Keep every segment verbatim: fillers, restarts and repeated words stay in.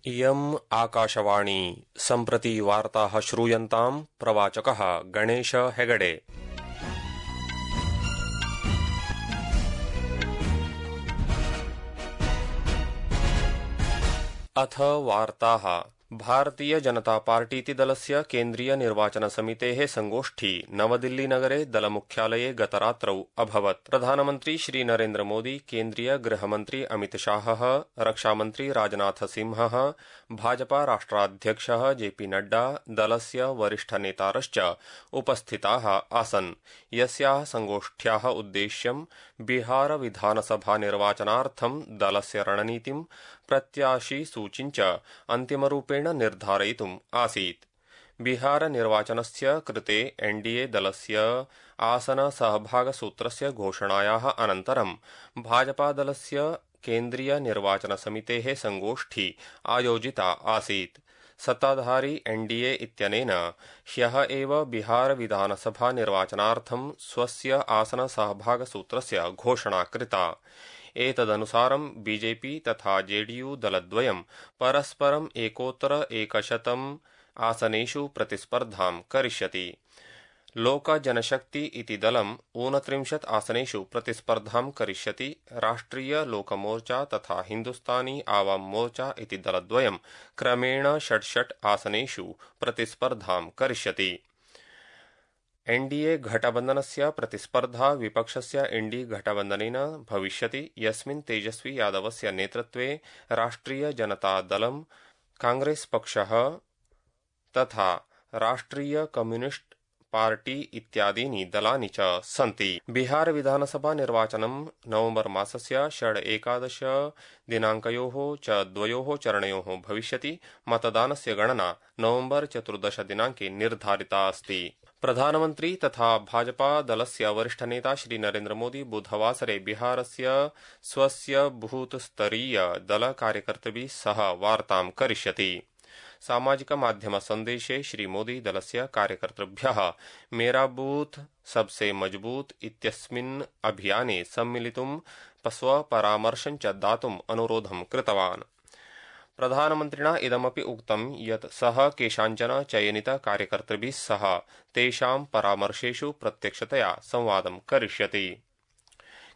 इयम् आकाशवाणी सम्प्रति वार्ताः श्रूयन्ताम् प्रवाचकः गणेश हेगडे। अथ वार्ताः। भारतीय जनता पार्टीति दलस्य केन्द्रीय निर्वाचन समितेः संगोष्ठी नवदिल्लीनगरे दलमुख्यालये गतरात्रौ अभवत्। प्रधानमन्त्री श्री नरेन्द्र मोदी, केन्द्रीय गृहमन्त्री अमितशाहः, रक्षामन्त्री राजनाथसिंहः, भाजपा राष्ट्राध्यक्षः जेपी नड्डा, दलस्य वरिष्ठनेतारश्च उपस्थिताः आसन्। यस्याः संगोष्ठ्याः उद्देश्यं बिहार विधानसभा निर्वाचनार्थं दलस्य रणनीतिं, प्रत्याशी सूचीञ्च अन्तिमरूपेण निर्धारयितुम् आसीत्। बिहार निर्वाचनस्य कृते एनडीए दलस्य आसन सहभागसूत्रस्य घोषणायाः अनन्तरं भाजपादलस्य केन्द्रीय निर्वाचन समितेः संगोष्ठी आयोजिता आसीत्। सत्ताधारी एनडीए इत्यनेन ह्यः एव बिहार विधानसभा निर्वाचनार्थं स्वस्य आसन सहभागसूत्रस्य घोषणा कृता। एतदनुसारं बीजेपी तथा जेडीयू दलद्वयं परस्परम् एकोत्तर एकशतम् आसनेषु प्रतिस्पर्धां करिष्यति। लोक जनशक्ति इति दलम् ऊनत्रिंशत् आसनेषु प्रतिस्पर्धां करिष्यति। राष्ट्रिय लोकमोर्चा तथा हिन्दुस्तानी आवाम मोर्चा इति दलद्वयं क्रमेण षड्षट् आसनेषु प्रतिस्पर्धां करिष्यति। एनडीए घटबन्धनस्य प्रतिस्पर्धा विपक्षस्य इंडी घटबन्धनेन भविष्यति, यस्मिन् तेजस्वी यादवस्य नेतृत्वे राष्ट्रिय जनता दलं, कांग्रेस पक्षः तथा राष्ट्रिय कम्युनिस्ट पार्टी इत्यादीनि दलानि च सन्ति। बिहार विधानसभा निर्वाचनं नवम्बर मासस्य षड् एकादश दिनाङ्कयोः च द्वयोः चरणयोः भविष्यति। मतदानस्य गणना नवम्बर चतुर्दश दिनाङ्के निर्धारिता अस्ति। प्रधानमन्त्री तथा भाजपा दलस्य वरिष्ठनेता श्री नरेन्द्र मोदी बुधवासरे बिहारस्य स्वस्य बूथस्तरीय दल कार्यकर्तृभिः सह वार्तां करिष्यति। सामाजिक माध्यम सन्देशे श्री मोदी दलस्य कार्यकर्तृभ्यः मेरा बूथ सबसे मजबूत इत्यस्मिन् अभियाने सम्मिलितुं स्वपरामर्शं च दातुम् अनुरोधं कृतवान्। प्रधानमन्त्रिणा इदमपि उक्तं यत् सः केषाञ्चन चयनित कार्यकर्तृभिः सह तेषां परामर्शेषु प्रत्यक्षतया संवादं करिष्यति।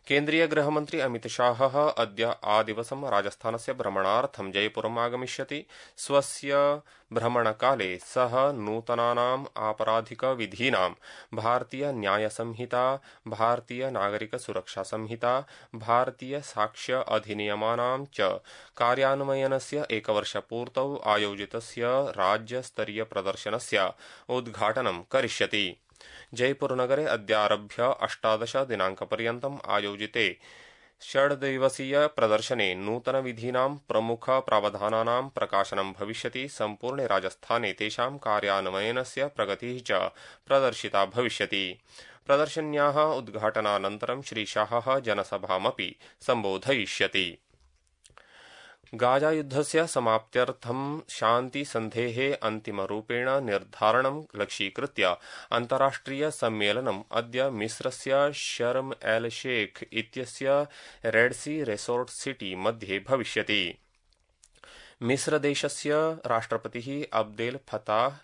केन्द्रीय गृहमन्त्री अमितशाहः अद्य आदिवसं राजस्थानस्य भ्रमणार्थं जयपुरम् आगमिष्यति। स्वस्य भ्रमणकाले सः नूतनानाम् आपराधिकविधीनां, भारतीय न्यायसंहिता, भारतीय नागरिकसुरक्षासंहिता, भारतीय साक्ष्य अधिनियमानां च कार्यान्वयनस्य एकवर्षपूर्तौ आयोजितस्य राज्यस्तरीय प्रदर्शनस्य उद्घाटनं करिष्यति। जयपुरनगरे अद्यारभ्य अष्टादश दिनाङ्कपर्यन्तम् आयोजिते षड्दिवसीय प्रदर्शने नूतनविधीनां प्रमुख प्रावधानानां प्रकाशनं भविष्यति। सम्पूर्णे राजस्थाने तेषां कार्यान्वयनस्य प्रगतिः च प्रदर्शिता भविष्यति। प्रदर्शन्याः उद्घाटनानन्तरं श्रीशाहः जनसभामपि सम्बोधयिष्यति। गाजायुद्धस्य समाप्त्यर्थं शान्तिसन्धेः अन्तिमरूपेण निर्धारणं लक्ष्यीकृत्य अन्ताराष्ट्रिय सम्मेलनम् अद्य मिस्रस्य शर्म एल शेख इत्यस्य रेड सी रेसोर्ट सिटी मध्ये भविष्यति। मिस्रदेशस्य राष्ट्रपतिः अब्देल फताह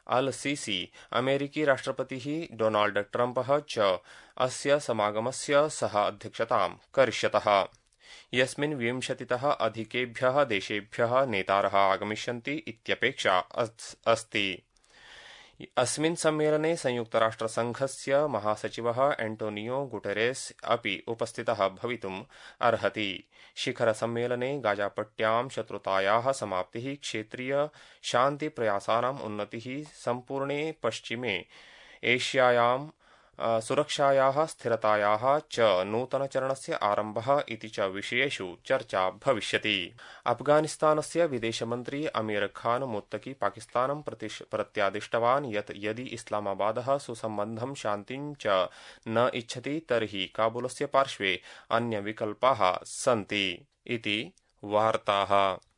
अल सीसी, अमेरिकी राष्ट्रपतिः डोनाल्ड ट्रम्पः च अस्य समागमस्य सह अध्यक्षतां करिष्यतः, यस्मिन् विंशतितः अधिकेभ्यः देशेभ्यः नेतारः आगमिष्यन्ति इत्यपेक्षा अस्ति। अस्मिन् सम्मेलने संयुक्तराष्ट्रसङ्घस्य महासचिवः एंटोनियो गुटेरेस अपि उपस्थितः भवितुम् अर्हति। शिखरसम्मेलने गाजापट्ट्यां शत्रुतायाः समाप्तिः, क्षेत्रीय शान्तिप्रयासानाम् उन्नतिः, सम्पूर्णे पश्चिमे एशियायां सुरक्षायाः स्थिरतायाः च नूतनचरणस्य आरम्भः इति च विषयेषु चर्चा भविष्यति। अफगानिस्तानस्य विदेशमन्त्री अमीर खान मुत्तकी पाकिस्तानं प्रत्यादिष्टवान् यत् यदि इस्लामाबादः सुसम्बन्धं शान्तिं च न इच्छति तर्हि काबुलस्य पार्श्वे अन्यविकल्पाः सन्ति इति वार्ताः।